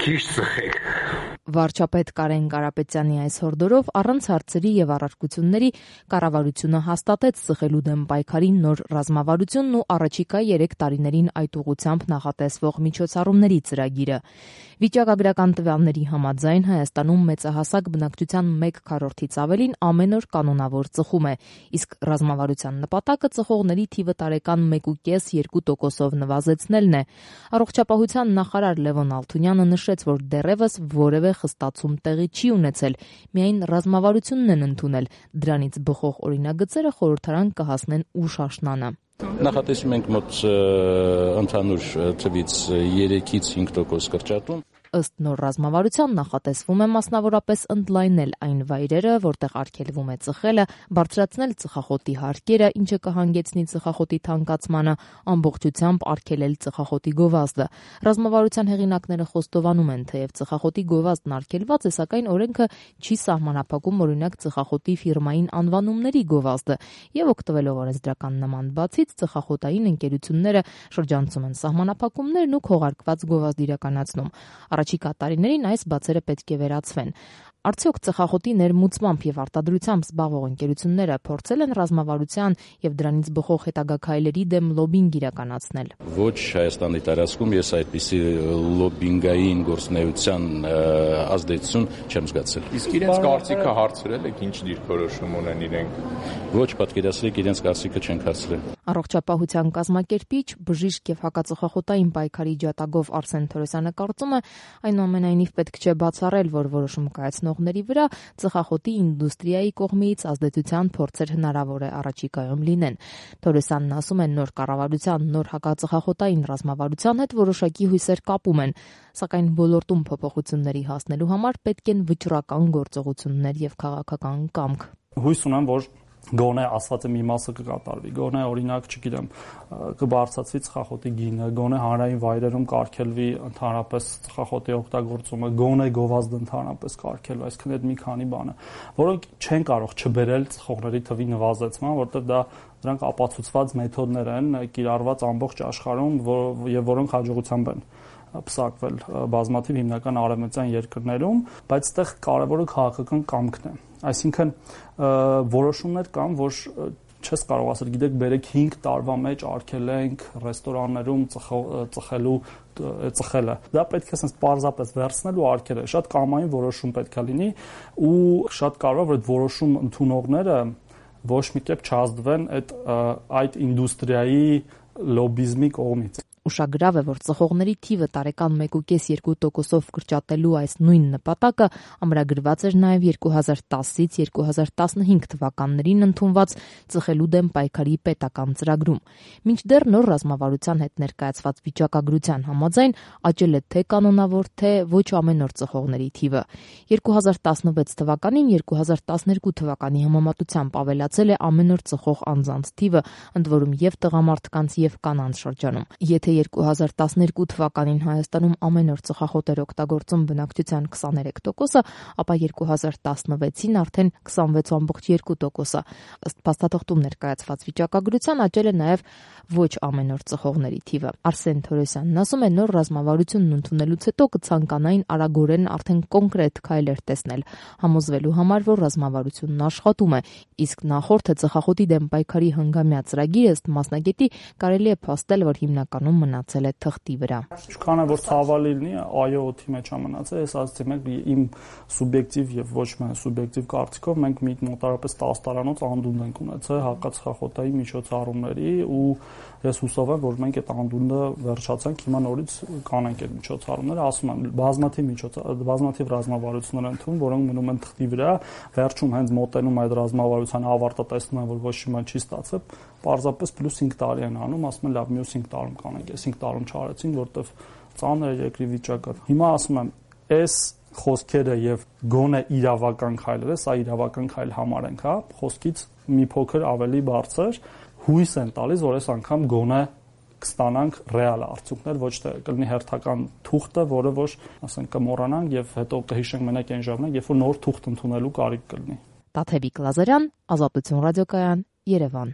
Ճիշտ ծխեք։ Վարչապետ Կարեն Կարապետյանի այս հորդորով առանց հարցերի եւ առարկությունների կառավարությունը հաստատեց ծխելու դեմ պայքարի նոր ռազմավարությունն ու առաջիկա 3 տարիներին այդ ուղղությամբ նախատեսվող միջոցառումների ծրագիրը։ Վիճակագրական տվյալների համաձայն Հայաստանում մեծահասակ բնակչության 1/4-ից ավելին ամեն օր կանոնավոր ծխում է, իսկ ռազմավարության նպատակը ծխողների թիվը տարեկան 1,5-2%-ով նվազեցնելն է։ Առողջապահության նախարար Լևոն Ալթունյանը նշեց, որ դեռևս որևէ խստացում տեղի չի ունեցել, միայն ռազմավարությունն են ընդունել, դրանից բխող օրինագծերը խորհրդարան կհասնեն ուշ աշնանը։ Նախատեսում ենք մոտ ընդհանուր թվից 3-ից 5% կրճատում։ Ըստ նոր ռազմավարության նախատեսվում է մասնավորապես ընդլայնել այն վայրերը, որտեղ արգելվում է ծխելը, բարձրացնել ծխախոտի հարկերը, ինչը կհանգեցնի ծխախոտի թանկացմանը, ամբողջությամբ արգելել ծխախոտի գովազդը։ Ռազմավարության հեղինակները խոստովանում են, թեև ծխախոտի գովազդն արգելված է, սակայն օրենքը չի սահմանափակում օրինակ ծխախոտի ֆիրմային անվանումների գովազդը, եւ օգտվելով օրենսդրական նման բացից ծխախոտային ընկերությունները շրջանցում են սահմանափակումներն ու քողարկված գովազդ իրականացնում։ Առաջիկա տարիներին այս բացերը պետք է վերացվեն։ Արդյոք ծխախոտի ներմուծմամբ եւ արտադրությամբ զբաղվող ընկերությունները փորձել են ռազմավարության եւ դրանից բխող հետագա քայլերի դեմ լոբինգ իրականացնել։ Ոչ Հայաստանի տարածքում ես այդպիսի լոբինգային գործունեության ազդեցություն չեմ զգացել։ Իսկ իրենց կարծիքը հարցրել եք, ինչ դիրքորոշում ունեն իրենք։ Ոչ, պատկերացրեք, իրենց կարծիքը չենք հարցրել։ Առողջապահության կազմակերպիչ, բժիշկ եւ հակածխախոտային պայքարի ջատագով Արսեն Թորոսյանը կարծում է, այնուամենայնիվ պետք չէ բացառել, որ որոշում կայացնողների վրա ծխախոտի ինդուստրիայի կողմից ազդեցության փորձեր հնարավոր է առաջիկայում լինեն։ Թորոսյանն ասում է, նոր կառավարության, նոր հակածխախոտային ռազմավարության հետ որոշակի հույսեր կապում են, սակայն ոլորտում փոփոխությունների հասնելու համար պետք են վճռական գործողություններ եւ քաղաքական կամք։ Հույս ունեմ, որ գոնե ասված է մի մասը կկատարվի, գոնե օրինակ, չգիտեմ, կբարձրացվի ծխախոտի գինը, գոնե հանրային վայրերում կարգելվի ընդհանրապես ծխախոտի օգտագործումը, գոնե գովազդը ընդհանրապես կարգելվի, այսինքն այդ մի քանի բանը, որոնք չեն կարող չբերել ծխողների թվի նվազեցման, որտեղ դրանք ապացուցված մեթոդներ են, կիրառված ամբողջ աշխարհում եւ որոնք հաջողությամբ են պսակվել բազմաթիվ հիմնական արևմտյան երկրներում, բայց այդտեղ կարևորը քաղաքական կամքն է։ Այսինքն որոշումներ կան, որ չես կարող ասել, գիտեք, բերեք 5 տարվա մեջ արգելենք ռեստորաններում ծխելը։ Դա պետք է ասես պարզապես վերցնել ու արգելել։ Շատ կամային որոշում պետք է լինի ու շատ կարևոր է, որ այդ որոշում ընդունողները ոչ մի կերպ չազդվեն այդ ինդուստրիայի լոբիզմի կողմից։ Ուշագրավ է, որ ծխողների թիվը տարեկան 1,5-2%-ով կրճատելու այս նույն նպատակը ամրագրված էր նաև 2010-ից 2015 թվականներին ընդունված ծխելու դեմ պայքարի պետական ծրագրում։ Մինչդեռ նոր ռազմավարության հետ ներկայացված վիճակագրության համաձայն աճել է թե կանոնավոր, թե ոչ ամենօր ծխողների թիվը։ 2016 թվականին 2012 թվականի համեմատությամբ ավելացել է ամենօր ծխող անձանց թիվը, ընդ որում եւ տղամարդկանց եւ կանանց շրջանում։ Եթե 2012 թվականին Հայաստանում ամեն օր ծխախոտ էր օգտագործում բնակչության 23%-ը, ապա 2016-ին արդեն 26.2%-ը։ Ըստ փաստաթղթում ներկայացված վիճակագրության աճել է նաև ոչ ամեն օր ծխողների թիվը։ Արսեն Թորոսյանն ասում է, նոր ռազմավարությունն ընդունելուց հետո կցանկանային արագորեն արդեն կոնկրետ քայլեր տեսնել, համոզվելու համար, որ ռազմավարությունն աշխատում է, իսկ նախորդը ծխախոտի դեմ պայքարի հնգամյա ծրագիրը ըստ մասնագետի կարելի է փաստել, որ հիմնականում մնացել է թղթի վրա։ Ինչքան է որ ցավալի լինի, այո, օդի մեջ է մնացել, ես ասացի մենք իմ սուբյեկտիվ եւ ոչ միայն սուբյեկտիվ կարծիքով մենք մոտարապես 10 տարանոց անդունդ ենք ունեցել հակածխախոտային միջոցառումների ու ես հուսով եմ, որ մենք այդ անդունդը վերջացանք, հիմա նորից կանենք այդ միջոցառումները, ասում եմ, բազմաթիվ ռազմավարություններ են ընդունում, որոնք մնում են թղթի վրա, վերջում հենց մոտենում այդ ռազմավարության ավարտը տեսնում են, որ ոչ մի բան չի ստացվել, պարզապես +5 տարի են անում, ասում են լավ, մյուս 5 տարում կանենք, այս 5 տարում չարեցին, որտեվ ծանր է երկրի վիճակը։ Հիմա ասում եմ, այս խոսքերը եւ գոնե իրավական քայլերը, սա իրավական քայլ համարենք, հա, խոսքից մի փոքր ավելի բարձր հույս են տալիս, որ այս անգամ գոնե կստանանք ռեալ արդյունքներ, ոչ թե կլինի հերթական թուղթը, որը որ, ասենք, կմոռանանք եւ հետո կհիշենք մենակ այն ժամանակ, երբ որ նոր թուղթ ընդունելու կարիք կլինի։ Տաթևիկ Լազարյան, Ազատություն ռադիոկայան, Երևան։